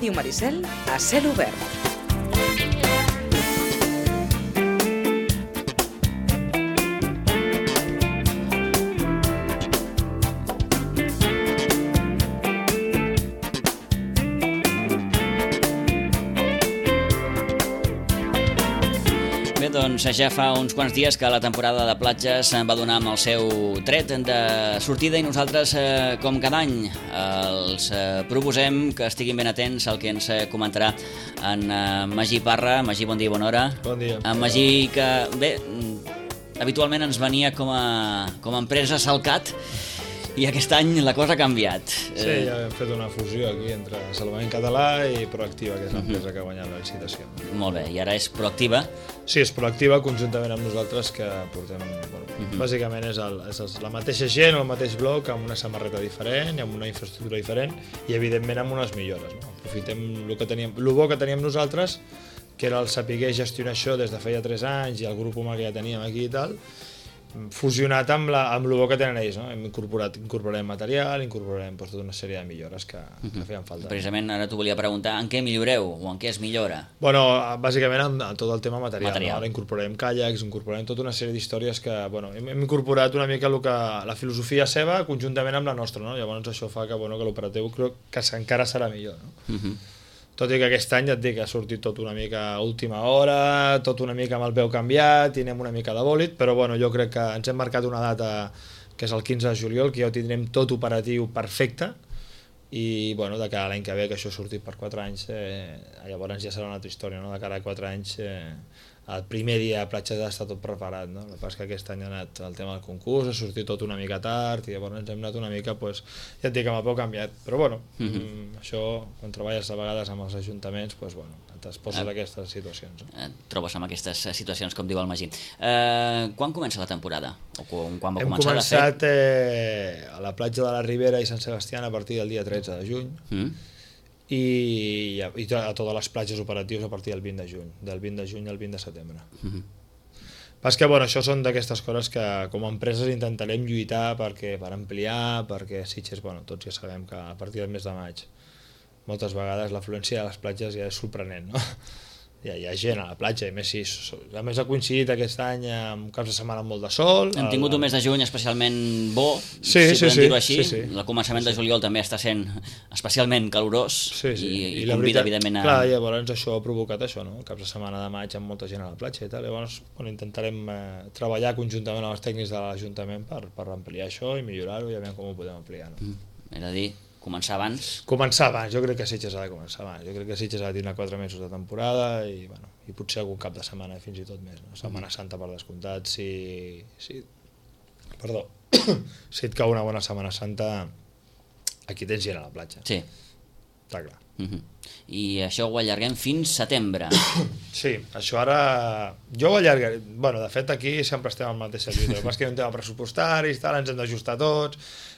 Ràdio Maricel a cel obert. Doncs ja fa uns quants dies que la temporada de platges va donar amb el seu tret de sortida i nosaltres, com cada any, els proposem que estiguin ben atents al que ens comentarà en Magí Parra. Magí, bon dia i bona hora. Bon dia. En Magí, que bé, habitualment ens venia com a empresa Salcat, i aquest any la cosa ha canviat. Sí, ja hem fet una fusió aquí entre Salvament Català i Proactiva, que és l'empresa que ha guanyat la licitació. Molt bé, i ara és Proactiva. Sí, és Proactiva conjuntament amb nosaltres, que portem... Bàsicament és la mateixa gent o el mateix bloc amb una samarreta diferent i amb una infraestructura diferent i evidentment amb unes millores. Aprofitem el bo que teníem nosaltres, que era el saber gestionar això des de feia 3 anys i el grup humà que ja teníem aquí i tal, fusionat amb el bo que tenen ells, no? Incorporarem material, incorporarem tota una sèrie de millores que feien falta. Precisament ara t'ho volia preguntar, en què milloreu o en què es millora? Bueno, bàsicament amb tot el tema material. No? Ara incorporarem caiacs, incorporarem tota una sèrie d'històries que, bueno, hem incorporat una mica la filosofia seva conjuntament amb la nostra, no? Llavors això fa que l'operatiu crec que encara serà millor, no? Tot i que aquest any ja et dic que ha sortit tot una mica a última hora, tot una mica amb el peu canviat i anem una mica de bòlit, però bueno, jo crec que ens hem marcat una data que és el 15 de juliol, que ja ho tindrem tot operatiu perfecte i bueno, de cara a l'any que ve, que això ha sortit per 4 anys, llavors ja serà una altra història, no? De cara a 4 anys el primer dia a platges ha estat tot preparat, no? El que passa és que aquest any ha anat el tema del concurs, ha sortit tot una mica tard i llavors ens hem anat una mica, pues, ja et dic, amb el peu canviat, però bueno, això, quan treballes a vegades amb els ajuntaments, pues, bueno, et poses aquestes situacions. Et trobes amb aquestes situacions, com diu el Magí. Quan comença la temporada? O quan va Hem començar començat a la platja de la Ribera i Sant Sebastián a partir del dia 13 de juny, i a totes les platges operatives a partir del 20 de juny, del 20 de juny al 20 de setembre. Pas que, bueno, això són d'aquestes coses que com a empreses intentarem lluitar per ampliar, perquè Sitges, bueno, tots ja sabem que a partir del mes de maig moltes vegades l'afluència de les platges ja és sorprenent, no? Hi ha gent a la platja, a més ha coincidit aquest any amb caps de setmana amb molt de sol. Hem tingut un mes de juny especialment bo, si podem dir-ho així. El començament de juliol també està sent especialment calorós i convida, evidentment, a... Clar, llavors això ha provocat això, no? Caps de setmana de maig amb molta gent a la platja i tal. Llavors intentarem treballar conjuntament amb els tècnics de l'Ajuntament per ampliar això i millorar-ho i a veure com ho podem ampliar. És a dir, començar abans? Començar abans, jo crec que Sitges ha de començar abans. Jo crec que Sitges ha de tenir 4 mesos de temporada i potser algun cap de setmana fins i tot més. No? Setmana Santa per descomptat, si et cau una bona Setmana Santa, aquí tens gent a la platja. Sí. Està clar. I això ho allarguem fins setembre. Sí, això ara... Jo ho allargaré... Bueno, de fet aquí sempre estem al mateix sentit. El que passa és que hi ha un tema pressupostari i tal, ens hem d'ajustar tots,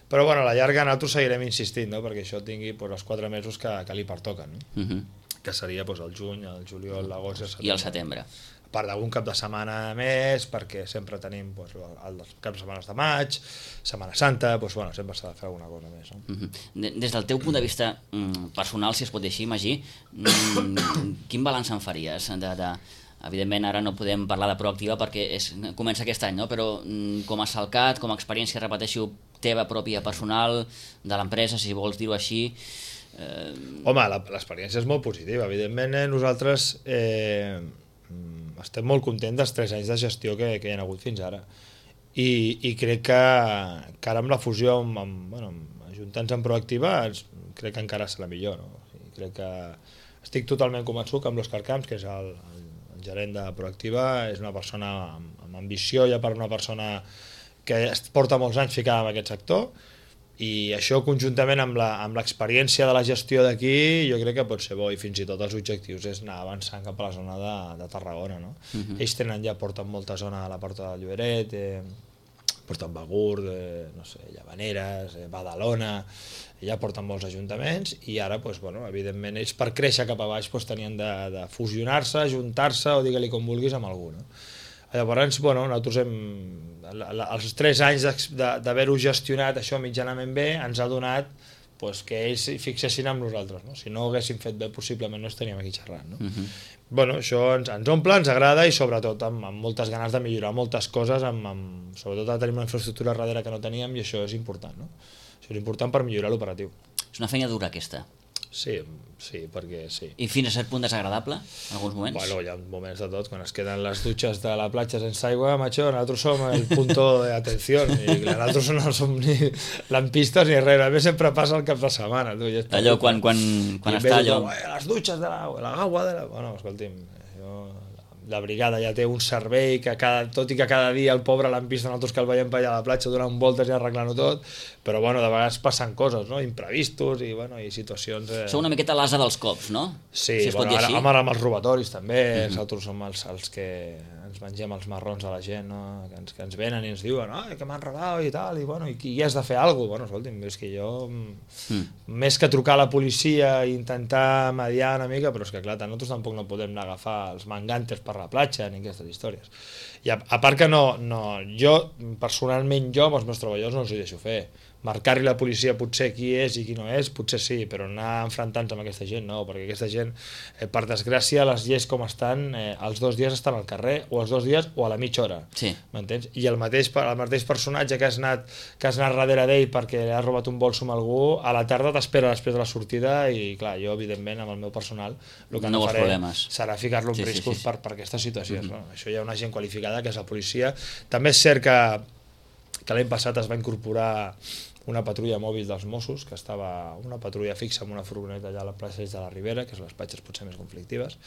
però bueno, a la llarga nosaltres seguirem insistint, no? Perquè això tingui els 4 mesos que li pertoquen, no? Que seria el juny, el juliol, l'agost i el setembre. I el setembre. A part d'algun cap de setmana més, perquè sempre tenim els caps de setmana de maig, Setmana Santa, sempre s'ha de fer alguna cosa més. No? Des del teu punt de vista personal, si es pot dir així, Magí, quin balanç en faries? Evidentment ara no podem parlar de Proactiva perquè comença aquest any, no? Però com a Salcat, com a experiència, repeteixo, teva pròpia personal, de l'empresa, si vols dir-ho així... Home, l'experiència és molt positiva. Evidentment nosaltres estem molt contents dels 3 anys de gestió que hi ha hagut fins ara. I crec que ara amb la fusió ajuntant-nos amb Proactiva crec que encara serà millor. No? Crec que estic totalment convençut que amb l'Òscar Camps, que és el gerent de Proactiva, és una persona amb ambició, ja per una persona que porta molts anys ficada en aquest sector, i això conjuntament amb l'experiència de la gestió d'aquí jo crec que pot ser bo, i fins i tot els objectius és anar avançant cap a la zona de Tarragona, no? Ells porten molta zona a la Porta del Lloberet, porten Begur, no sé, Llavaneres, Badalona, ja porten molts ajuntaments, i ara, evidentment, ells per créixer cap a baix tenien de fusionar-se, ajuntar-se, o digue-li com vulguis, amb algú, no? Llavors, nosaltres els 3 anys d'haver-ho gestionat això mitjanament bé ens ha donat pues que ells s'hi fixessin amb nosaltres, no? Si no ho haguéssim fet bé, possiblement no estaríem aquí xerrant, no? Bueno, això ens omple, ens agrada i sobretot amb moltes ganes de millorar moltes coses, sobretot ara tenim una infraestructura darrere que no teníem i això és important, no? Això és important per millorar l'operatiu. És una feina dura aquesta. Sí, perquè sí. I fins a cert punt desagradable, en alguns moments? Bueno, hi ha moments de tot, quan es queden les dutxes de la platja sense aigua, macho, nosaltres som el punto de atención, i nosaltres no som ni lampistes ni res, a més sempre passa el cap de setmana. Tu, allò, quan està allò... Les dutxes de l'aigua, Bueno, escolti'm, la brigada ja té un servei que tot i que cada dia el pobre l'han vist nosaltres que el veiem per allà a la platja donant voltes i arreglant-ho tot, però bueno, de vegades passen coses, no? Imprevistos i, bueno, i situacions... Sou una miqueta l'asa dels cops, no? Sí, si bueno, ara amb els robatoris també, nosaltres som els que ens mengem els marrons a la gent, no? que ens venen i ens diuen que m'han robat i tal, i bueno, i has de fer alguna cosa. Bueno, escolti'm, és que jo, més que trucar a la policia i intentar mediar una mica, però és que clar, nosaltres tampoc no podem anar a agafar els mangantes per la platja ni aquestes històries. I a part que jo, personalment amb els meus treballadors no els ho deixo fer. Marcar-li la policia potser qui és i qui no és, potser sí, però anar enfrontant-se amb aquesta gent no, perquè aquesta gent, per desgràcia, les lleis com estan, els 2 dies estan al carrer, o els 2 dies o a la mitja hora, m'entens? I el mateix personatge que has anat darrere d'ell perquè ha robat un bolso amb algú, a la tarda t'espera després de la sortida i clar, jo evidentment amb el meu personal el que no faré serà ficar-lo en riscos per aquestes situacions. No? Això hi ha una gent qualificada que és la policia. També és cert que l'any passat es va incorporar una patrulla mòbil dels Mossos, que estava una patrulla fixa amb una furgoneta allà a la plaça de la Ribera, que és les platges potser més conflictives,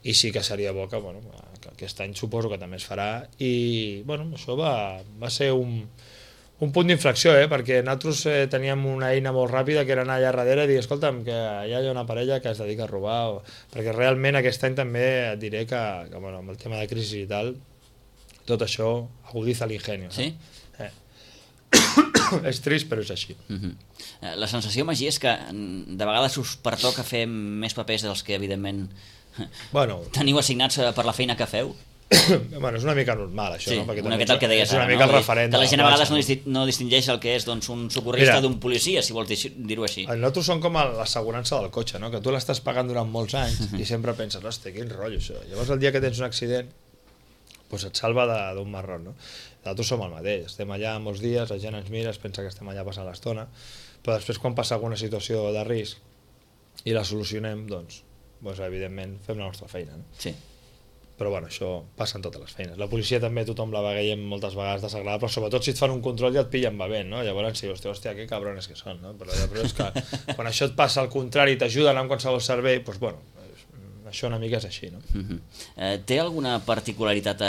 i sí que seria bo que aquest any suposo que també es farà, i bueno, això va ser un punt d'inflexió, perquè nosaltres teníem una eina molt ràpida que era anar allà darrere i dir, escolta'm, que allà hi ha una parella que es dedica a robar, perquè realment aquest any també et diré que bueno, amb el tema de crisi i tal, tot això agudiza l'ingenio. Sí? És trist, però és així. La sensació, Magí, és que de vegades us pertoca fer més papers dels que, evidentment, teniu assignats per la feina que feu? Bueno, és una mica normal, això, no? Una mica el que deies ara, no? És una mica el referent. Que la gent a vegades no distingeix el que és un socorrista d'un policia, si vols dir-ho així. Nosaltres som com l'assegurança del cotxe, no? Que tu l'estàs pagant durant molts anys i sempre penses, hòstia, quin rotllo això. Llavors el dia que tens un accident, doncs et salva d'un marrón, no? Nosaltres som el mateix, estem allà molts dies, la gent ens mira, es pensa que estem allà passant l'estona, però després quan passa alguna situació de risc i la solucionem, doncs evidentment fem la nostra feina, no? Sí. Però bueno, això passa en totes les feines. La policia també tothom la veiem moltes vegades desagradable, però sobretot si et fan un control ja et pillen bevent, no? Llavors sí, hòstia, que cabrones que són, no? Però és que quan això et passa al contrari i t'ajuden amb qualsevol servei, doncs bueno, això una mica és així, no? Té alguna particularitat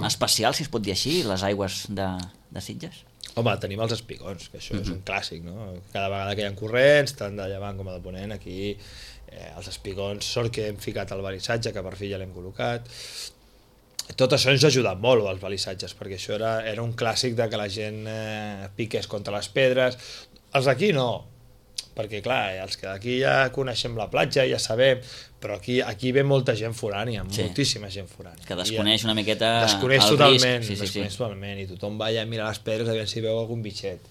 especial, si es pot dir així, les aigües de Sitges? Home, tenim els espigons, que això és un clàssic, no? Cada vegada que hi ha corrents, tant de llevant com de ponent, aquí els espigons, sort que hem ficat el balissatge, que per fi ja l'hem col·locat. Tot això ens ha ajudat molt, els balissatges, perquè això era un clàssic de que la gent piqués contra les pedres. Els d'aquí no, perquè clar, els que d'aquí ja coneixem la platja, ja sabem, però aquí ve molta gent forània, moltíssima gent forània. Que desconeix una miqueta desconeix totalment, i tothom va allà a mirar les pedres a veure si veu algun bitxet.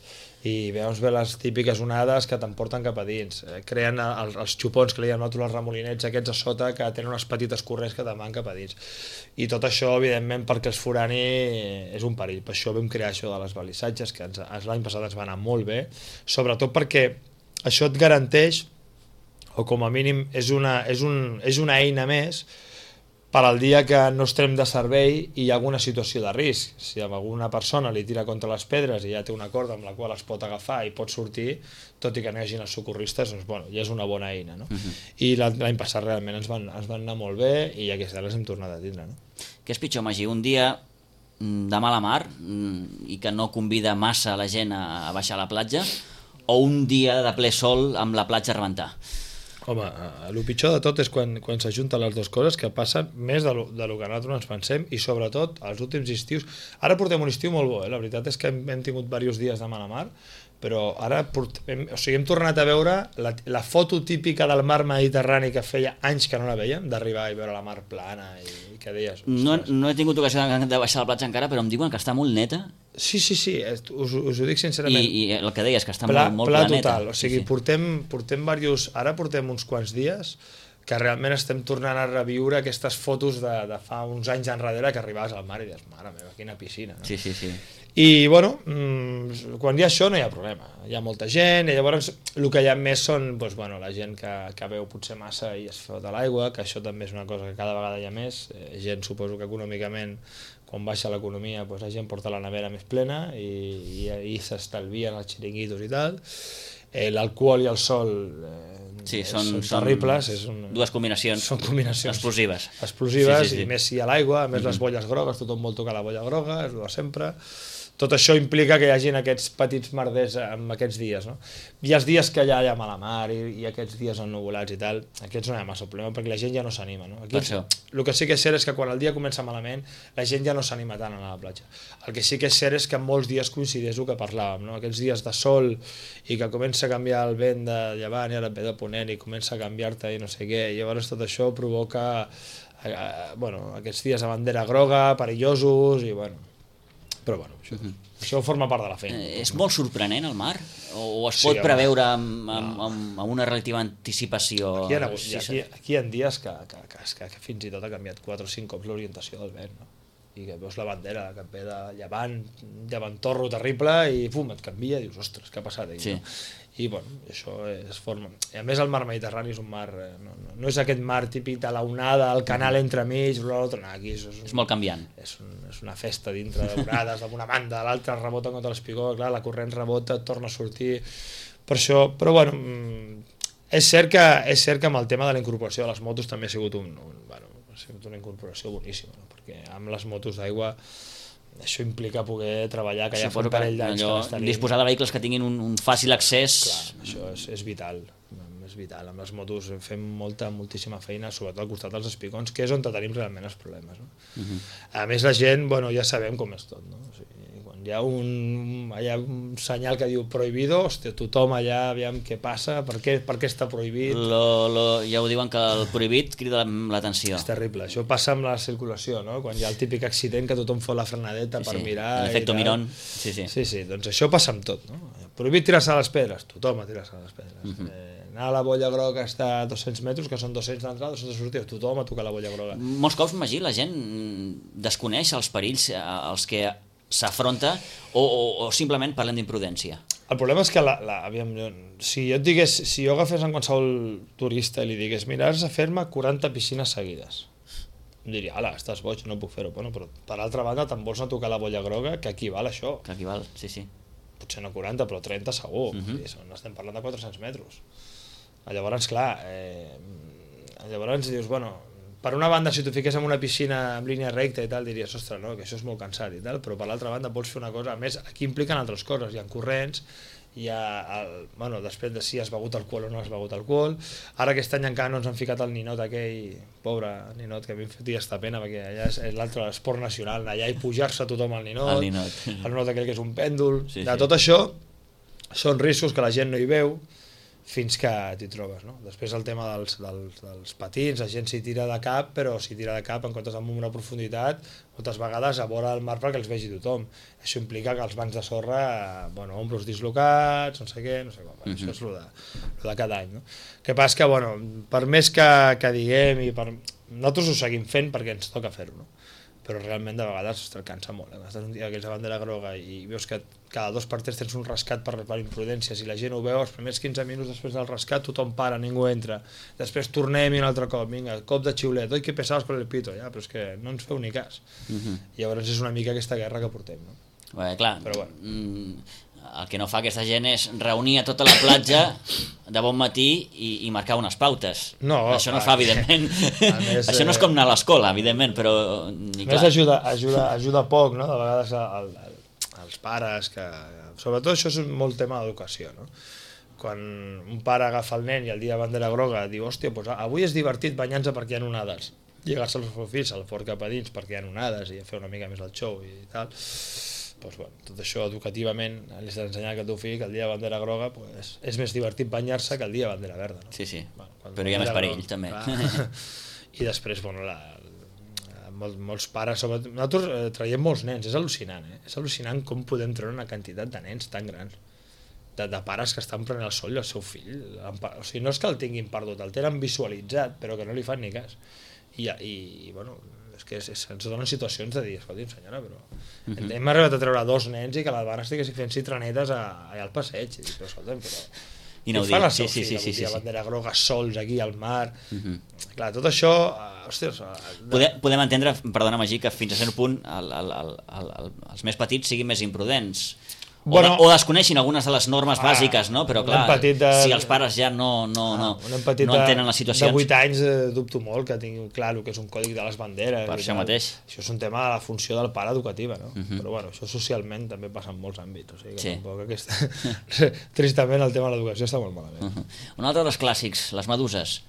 I veus bé les típiques onades que t'emporten cap a dins. Creen els xupons que li diem nosaltres, els remolinets aquests a sota, que tenen unes petites corrents que te'n van cap a dins. I tot això, evidentment, perquè els forani és un perill. Per això vam crear això de les balissatges, que l'any passat ens va anar molt bé, sobretot perquè això et garanteix, o com a mínim és una eina més per al dia que no estem de servei i hi ha alguna situació de risc. Si alguna persona li tira contra les pedres i ja té una corda amb la qual es pot agafar i pot sortir, tot i que no hi hagi els socorristes, doncs bueno, ja és una bona eina, no? I l'any passat realment ens van anar molt bé i aquest any les hem tornat a tindre, no? Què és pitjor, Magí? Un dia de mala mar i que no convida massa la gent a baixar a la platja, o un dia de ple sol amb la platja a rebentar? Home, el pitjor de tot és quan s'ajunten les dues coses, que passen més de lo que nosaltres ens pensem, i sobretot els últims estius. Ara portem un estiu molt bo, la veritat és que hem tingut diversos dies de mala mar, però ara hem tornat a veure la foto típica del mar Mediterrani que feia anys que no la veiem, d'arribar i veure la mar plana i que deies... No he tingut ocasió de baixar a la platja encara, però em diuen que està molt neta Sí, us ho dic sincerament. I el que deies, que està molt pla planeta. total, o sigui, ara portem uns quants dies que realment estem tornant a reviure aquestes fotos de fa uns anys enrere que arribaves al mar i dius, mare meva, quina piscina. No? Sí. I, bueno, quan hi ha això no hi ha problema. Hi ha molta gent, i llavors el que hi ha més són la gent que veu potser massa i es fot a l'aigua, que això també és una cosa que cada vegada hi ha més. Gent, suposo que econòmicament, quan baixa l'economia, la gent porta la nevera més plena i s'estalvien els xiringuitos i tal. L'alcohol i el sol són terribles. Dues combinacions, són combinacions explosives. Sí. I més si hi ha l'aigua, a més les bolles grogues, tothom vol tocar la bolla groga, és el de sempre. Tot això implica que hi hagin aquests petits merders en aquests dies, no? I els dies que allà hi ha mala mar i aquests dies ennuvolats i tal, aquests no hi ha massa problema perquè la gent ja no s'anima, no? Aquí, el que sí que és cert és que quan el dia comença malament la gent ja no s'anima tant a anar a la platja. El que sí que és cert és que en molts dies coincideix el que parlàvem, no? Aquests dies de sol i que comença a canviar el vent de llevant i ara ve de ponent i comença a canviar-te i no sé què, i llavors tot això provoca aquests dies de bandera groga, perillosos i però això forma part de la feina. És molt sorprenent el mar? O es pot preveure amb una relativa anticipació? Aquí hi ha dies que fins i tot ha canviat 4 o 5 cops l'orientació del vent, no? I que veus la bandera que et ve de llevantorro terrible i pum, et canvia i dius, ostres, què ha passat aquí? I això es forma. I a més el mar Mediterrani és un mar, no és aquest mar típic de la onada, el canal entremig, l'altre, no, aquí és molt canviant. És una festa dintre d'onades, d'una banda, l'altra rebota contra l'espigó, clar, la corrent rebota, torna a sortir, per això, però és cert que amb el tema de la incorporació de les motos també ha sigut una incorporació boníssima, no? Perquè amb les motos d'aigua això implica poder treballar, que ja fa un parell d'anys que n'estan. Disposar de vehicles que tinguin un fàcil accés. Clar, això és vital. Amb les motos fem moltíssima feina, sobretot al costat dels espigons, que és on tenim realment els problemes, no? A més la gent, ja sabem com és tot, no? O sigui, quan hi ha un senyal que diu prohibido, hòstia, tothom allà, aviam què passa, per què està prohibit. Ja ho diuen que el prohibit crida l'atenció. És terrible, això passa amb la circulació, no? Quan hi ha el típic accident que tothom fa la frenadeta per mirar. L'efecte Mirón. Sí, doncs això passa amb tot, no? Prohibit tirar-se a les pedres, tothom a tirar-se a les pedres. Anar a la bolla groga està a 200 metres, que són 200 d'entrada, 200 de sortida, tothom a tocar la bolla groga. Molts cops, Magí, la gent desconeix els perills als que s'afronta o simplement parlen d'imprudència? El problema és que, si jo agafés en qualsevol turista i li digués, mira, has de fer-me 40 piscines seguides, em diria, ala, estàs boig, no puc fer-ho. Però per altra banda te'n vols anar a tocar la bolla groga, que equival a això. Que equival, sí. Potser no 40, però 30 segur. Estem parlant de 400 metres. Llavors, clar, dius, per una banda, si t'ho fiqués en una piscina en línia recta i tal, diries, ostres, no, que això és molt cansat i tal, però per l'altra banda vols fer una cosa, a més, aquí impliquen altres coses, hi ha corrents, hi ha, després de si has begut alcohol o no has begut alcohol, ara aquest any encara no ens han ficat el ninot aquell, pobre ninot, que a mi em fotia esta pena, perquè allà és l'altre esport nacional, anar allà i pujar-se tothom al ninot, el ninot aquell que és un pèndol, tot això són riscos que la gent no hi veu, fins que t'hi trobes, no? Després el tema dels patins, la gent s'hi tira de cap, però s'hi tira de cap en comptes amb una profunditat, moltes vegades a vora el mar perquè els vegi tothom. Això implica que els bancs de sorra, ombros dislocats, no sé què, no sé com, això és el de cada any, no? El que passa que, per més que diguem, nosaltres ho seguim fent perquè ens toca fer-ho, no? Però realment de vegades cansa molt. Estàs un dia que és de bandera groga i veus que cada 2 per 3 tens un rescat per imprudència. Si la gent ho veu, els primers 15 minuts després del rescat tothom para, ningú entra. Després tornem i un altre cop, vinga, cop de xiulet, oi, que pesaves con el pito, ja, però és que no ens feu ni cas. Llavors és una mica aquesta guerra que portem, no? Clar, però el que no fa aquesta gent és reunir a tota la platja de bon matí i marcar unes pautes. Això no es fa, evidentment. Això no és com anar a l'escola, evidentment, però... A més ajuda poc, no? De vegades els pares, que sobretot això és molt tema d'educació, no? Quan un pare agafa el nen i el dia de bandera groga diu, hòstia, avui és divertit banyar-se perquè hi ha onades. Llegar-se als seus fills al fort cap a dins perquè hi ha onades i fer una mica més el show i tal... tot això educativament li has d'ensenyar que el teu fill que el dia de bandera groga és més divertit banyar-se que el dia de bandera verda, no? Sí, però hi ha més perill també. I després, molts pares, sobretot, nosaltres traiem molts nens, és al·lucinant, és al·lucinant com podem treure una quantitat de nens tan grans, de pares que estan prenent el sol i el seu fill, o sigui, no és que el tinguin perdut, el tenen visualitzat, però que no li fan ni cas, i bueno, és que ens donen situacions de dir, escolti'm senyora, però hem arribat a treure 2 nens i que l'Albana estiguessin fent citranetes allà al passeig, i dic, però escolta'm, però... Inaudit, sí, la bandera groga, sols aquí al mar... Clar, tot això... Hòsties... Podem entendre, perdona Magí, que fins a cert punt els més petits siguin més imprudents. O desconeixin algunes de les normes bàsiques, no? Però clar, si els pares ja no entenen la situació... De 8 anys dubto molt que tinguin clar el que és un còdic de les banderes. Per això mateix. Això és un tema de la funció del pare educativa, no? Però bueno, això socialment també passa en molts àmbits. O sigui que tampoc aquesta... Tristament el tema de l'educació està molt malament. Un altre dels clàssics, les meduses.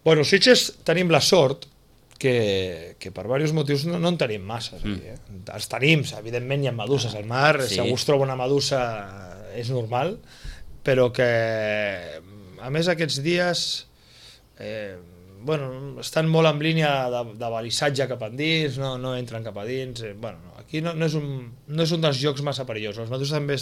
Bueno, Sitges tenim la sort que per diversos motius no en tenim massa. Els tenim, evidentment hi ha meduses al mar, si algú es troba una medusa és normal, però que a més aquests dies estan molt en línia de balissatge cap endins, no entren cap a dins, aquí no és un dels llocs massa perillosos. Les meduses també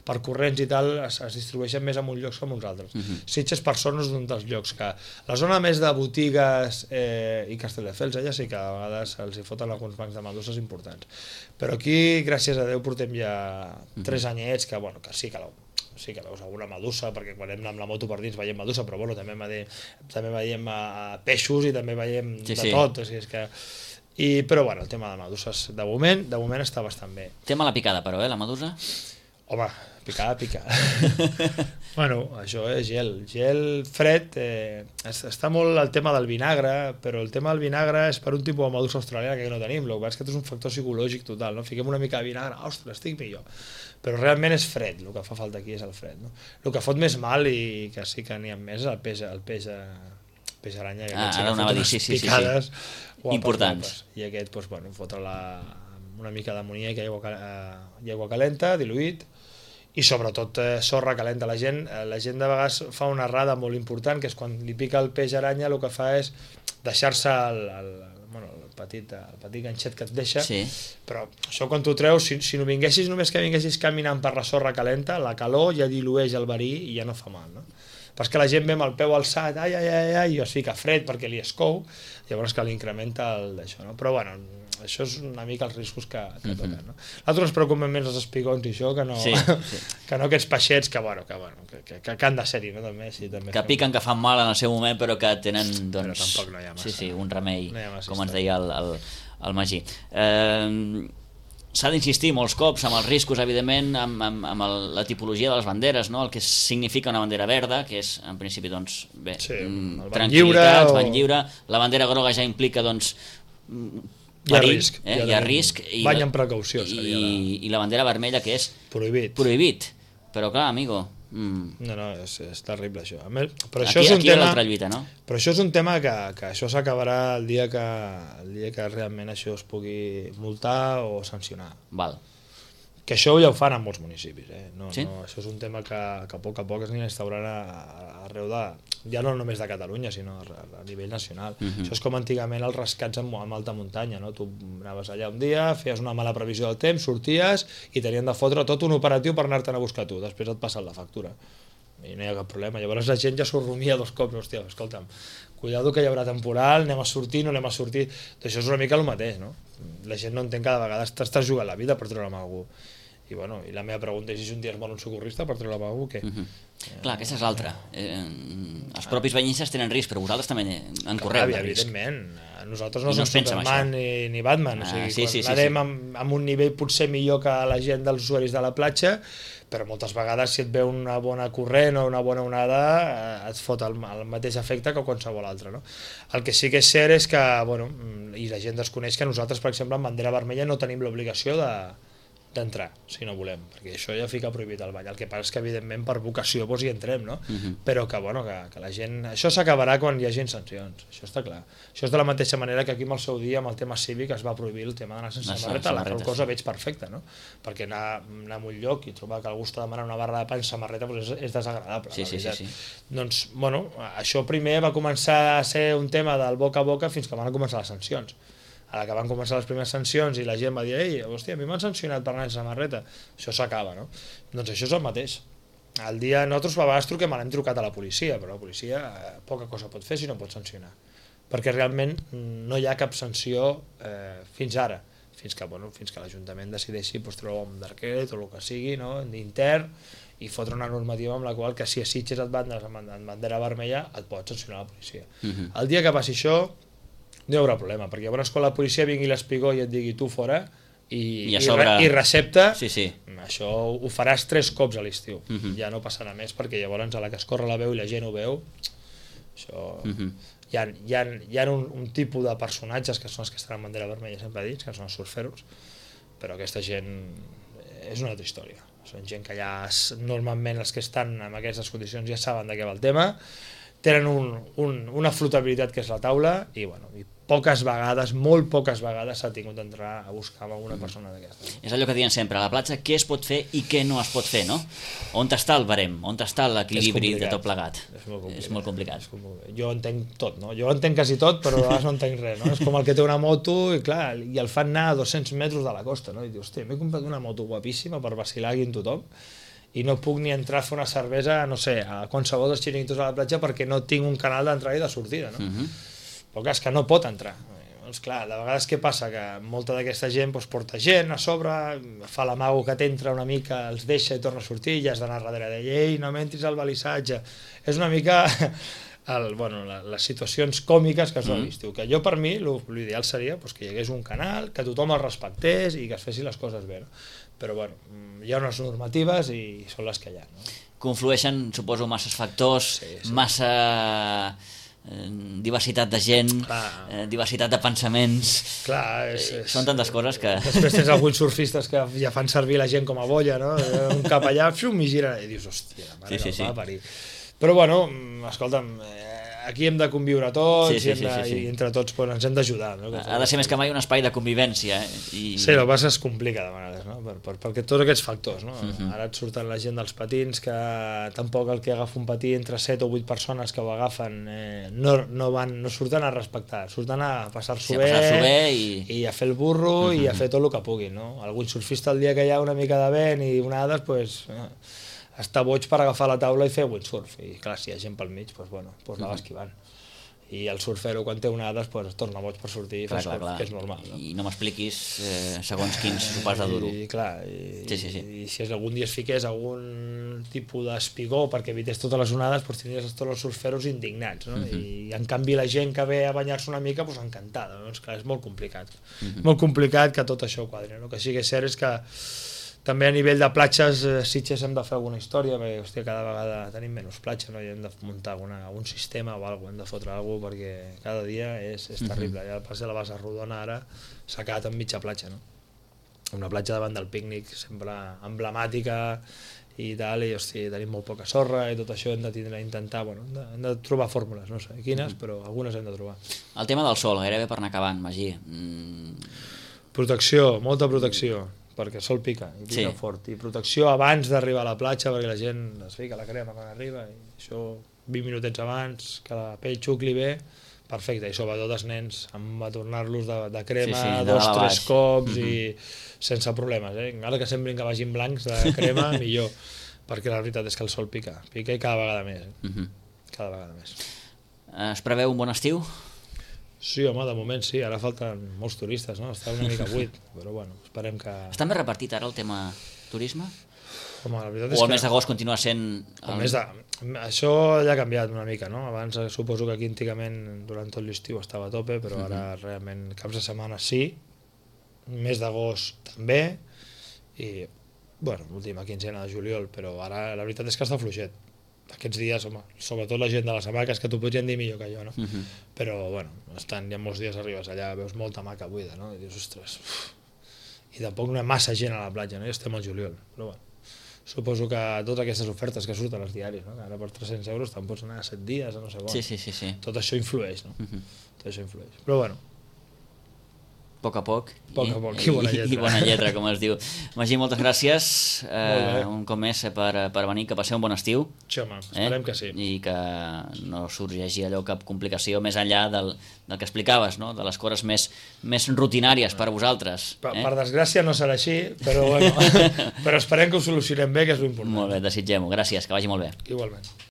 per corrents i tal es distribueixen més en uns llocs que en uns altres. Sitges per sort no és un dels llocs que... La zona més de botigues i Castelldefels, ja sí que a vegades els hi foten alguns bancs de meduses importants. Però aquí, gràcies a Déu, portem ja 3 anyets que sí que veus alguna medusa, perquè quan anem amb la moto per dins veiem medusa, però també veiem peixos i també veiem de tot, o sigui, és que... Però el tema de meduses de moment està bastant bé. Tema la picada, però, la medusa? Home, picada. Això és gel fred, està molt el tema del vinagre, però el tema del vinagre és per un tipus de medusa australiana que no tenim, el que és que és un factor psicològic total, no? Fiquem una mica de vinagre, ostres, estic millor, però realment és fred, el que fa falta aquí és el fred, no? El que fot més mal i que sí que n'hi ha més és el peix aranya, que ara anava a dir, picades importants, i aquest, fotre una mica d'amoníac i aigua calenta, diluït, i sobretot sorra calenta. La gent de vegades fa una errada molt important, que és quan li pica el peix aranya el que fa és deixar-se el petit ganxet que et deixa, però això quan t'ho treus, si no vinguessis només que vinguessis caminant per la sorra calenta, la calor ja dilueix el verí i ja no fa mal, no? Però és que la gent ve amb el peu alçat, i es fica fred perquè li escou, llavors que l'incrementa d'això, no? Però això és una mica els riscos que toquen, no? Nosaltres ens preocupem més els espigons i això, que no aquests peixets que han de ser-hi, no? Que piquen, que fan mal en el seu moment, però que tenen, però tampoc no hi ha massa. Un remei, com ens deia el Magí. S'ha d'insistir molts cops amb els riscos, evidentment, amb la tipologia de les banderes, no? El que significa una bandera verda, que és, en principi, tranquil·litat, bany lliure. La bandera groga ja implica, perill, hi ha risc. Bany amb precaució. I la bandera vermella, que és... Prohibit. Però clar, amigo... No, és terrible això. Però això és un tema, l'altra lluita, no? Però això és un tema que això s'acabarà el dia que realment això es pugui multar o sancionar. Val. Que això ja ho fan en molts municipis, Sí? Això és un tema que a poc es anirà instaurant arreu ja no només de Catalunya, sinó a nivell nacional. Això és com antigament els rescats en alta muntanya, no? Tu anaves allà un dia, feies una mala previsió del temps, sorties i tenien de fotre tot un operatiu per anar-te'n a buscar tu, després et passen la factura i no hi ha cap problema. Llavors la gent ja s'ho rumia 2 cops, hòstia, escolta'm, cuidado que hi haurà temporal, anem a sortir, no anem a sortir. Això és una mica el mateix, no? La gent no entén que de vegades t'estàs jugant la vida per treure amb algú. I la meva pregunta és si un dia es mor un socorrista per treure algú, què? Clar, aquesta és l'altra. Els propis banyistes tenen risc, però vosaltres també en correu de risc. Evidentment. Nosaltres no som Superman ni Batman. Anem amb un nivell potser millor que la gent dels usuaris de la platja, però moltes vegades si et ve una bona corrent o una bona onada et fot el mateix efecte que qualsevol altre, no? El que sí que és cert és que, i la gent desconeix que nosaltres, per exemple, en bandera vermella no tenim l'obligació d'entrar, si no volem, perquè això ja fica prohibit al bany. El que passa és que evidentment per vocació hi entrem, no? Però que la gent... Això s'acabarà quan hi hagi sancions, això està clar. Això és de la mateixa manera que aquí amb el seu dia, amb el tema cívic, es va prohibir el tema d'anar sense samarreta, la qual cosa veig perfecta, no? Perquè anar a un lloc i trobar que algú està demanant una barra de pa en samarreta és desagradable, la veritat. Doncs, això primer va començar a ser un tema del boca a boca fins que van començar les sancions. a la que van començar les primeres sancions i la gent va dir, ei, hòstia, a mi m'han sancionat per anar sense samarreta, això s'acaba, no? Doncs això és el mateix. El dia nosaltres a vegades truquem, l'hem trucat a la policia, però la policia poca cosa pot fer si no pot sancionar, perquè realment no hi ha cap sanció fins ara, fins que l'Ajuntament decideixi treure un decret o el que sigui, no? Intern, i fotre una normativa amb la qual que si a Sitges et van en bandera vermella et pot sancionar la policia. El dia que passi això no hi haurà problema, perquè llavors quan la policia vingui l'espigó i et digui tu fora i recepta, això ho faràs 3 cops a l'estiu, ja no passarà més, perquè llavors a la que es corre la veu i la gent ho veu, això... Hi ha un tipus de personatges que són els que estan en bandera vermella sempre dits, que són els surferos, però aquesta gent és una altra història. Són gent que ja normalment els que estan en aquestes condicions ja saben de què va el tema, tenen una flotabilitat que és la taula i poques vegades, molt poques vegades s'ha tingut d'entrar a buscar amb alguna persona d'aquestes. És allò que diuen sempre, a la platja què es pot fer i què no es pot fer, no? On està el barem? On està l'equilibri de tot plegat? És molt complicat. Jo entenc tot, no? Jo entenc quasi tot, però a vegades no entenc res, no? És com el que té una moto i clar, i el fan anar a 200 metres de la costa, no? I dius, hòstia, m'he comprat una moto guapíssima per vacilar aquí amb tothom i no puc ni entrar a fer una cervesa, no sé, a qualsevol dels xiringuitos a la platja perquè no tinc un canal d'entrada i de sortida, no? Però clar, és que no pot entrar. Doncs clar, de vegades què passa? Que molta d'aquesta gent porta gent a sobre, fa l'amago que t'entra una mica, els deixa i torna a sortir, i has d'anar darrere d'ell, ei, no m'entris al balissatge. És una mica les situacions còmiques que es donen a l'estiu. Que jo, per mi, l'ideal seria que hi hagués un canal, que tothom el respectés i que es fessin les coses bé. Però hi ha unes normatives i són les que hi ha. Conflueixen, suposo, masses factors, massa... diversitat de gent, diversitat de pensaments, són tantes coses que... Després tens alguns surfistes que ja fan servir la gent com a boia, no? Un cap allà, i gira i dius, hòstia, la mare que el va parir. Però escolta'm, aquí hem de conviure tots i entre tots ens hem d'ajudar. Ha de ser més que mai un espai de convivència. Sí, el que passa es complica de vegades, no? Perquè tots aquests factors, no? Ara et surten la gent dels patins, que tampoc el que agafa un patí entre 7 o 8 persones que ho agafen no surten a respectar, surten a passar-s'ho bé i a fer el burro i a fer tot el que puguin, no? Algun surfista el dia que hi ha una mica de vent i onades, està boig per agafar la taula i fer windsurf, i clar, si hi ha gent pel mig, anava esquivant, i el surfero quan té onades es torna boig per sortir i fa surf, que és normal, no? I no m'expliquis segons quins sopars de duro. I si algun dia es fiqués algun tipus d'espigó perquè evités totes les onades, tindries tots els surferos indignats, no? I en canvi la gent que ve a banyar-se una mica, encantada, no? Clar, és molt complicat, molt complicat que tot això quadri, no? Que sí que és cert és que també a nivell de platges, Sitges hem de fer alguna història, perquè cada vegada tenim menys platja, no? I hem de muntar algun sistema o alguna cosa, hem de fotre alguna cosa, perquè cada dia és terrible. Ja el pas de la Bassa Rodona ara s'ha quedat en mitja platja, no? Una platja davant del pícnic sempre emblemàtica i tal, i tenim molt poca sorra i tot això hem de trobar fórmules, no sé quines, però algunes hem de trobar. El tema del sol, gairebé per anar acabant, Magí. Protecció, molta protecció, perquè el sol pica, i pica fort, i protecció abans d'arribar a la platja, perquè la gent es fica la crema quan arriba, i això 20 minutets abans, que la pell xucli bé, perfecte, i sobretot els nens, amb tornar-los de crema 2-3 cops i sense problemes, encara que semblin que vagin blancs de crema, millor, perquè la veritat és que el sol pica i cada vegada més, cada vegada més. Es preveu un bon estiu? Sí, home, de moment sí, ara falten molts turistes, no? Està una mica buit, però esperem que... Està més repartit ara el tema turisme? Home, la veritat és o el mes d'agost continua sent... Això ja ha canviat una mica, no? Abans suposo que aquí antigament durant tot l'estiu estava a tope, però ara realment caps de setmana sí, mes d'agost també, i, l'última quinzena de juliol, però ara la veritat és que està fluixet. Aquests dies, home, sobretot la gent de les hamaques, que t'ho podrien dir millor que jo, no? Però, hi ha molts dies arribes allà, veus molta hamaca buida, no? I dius, ostres, i tampoc no hi ha massa gent a la platja, no? I estem al juliol, però suposo que totes aquestes ofertes que surten als diaris, no? Que ara per 300 euros te'n pots anar a 7 dies, a no sé com. Sí. Tot això influeix, no? Tot això influeix. Però, poc a poc, a poc, i bona lletra. I bona lletra, com es diu. Magí, moltes gràcies un cop més per venir, que passeu un bon estiu. Sí, home, esperem que sí. I que no sorgeixi allò cap complicació més enllà del que explicaves, no? De les coses més rutinàries per a vosaltres. Per desgràcia no serà així, però, bueno, però esperem que ho solucionem bé, que és l'important. Molt bé, desitgem-ho. Gràcies, que vagi molt bé. Igualment.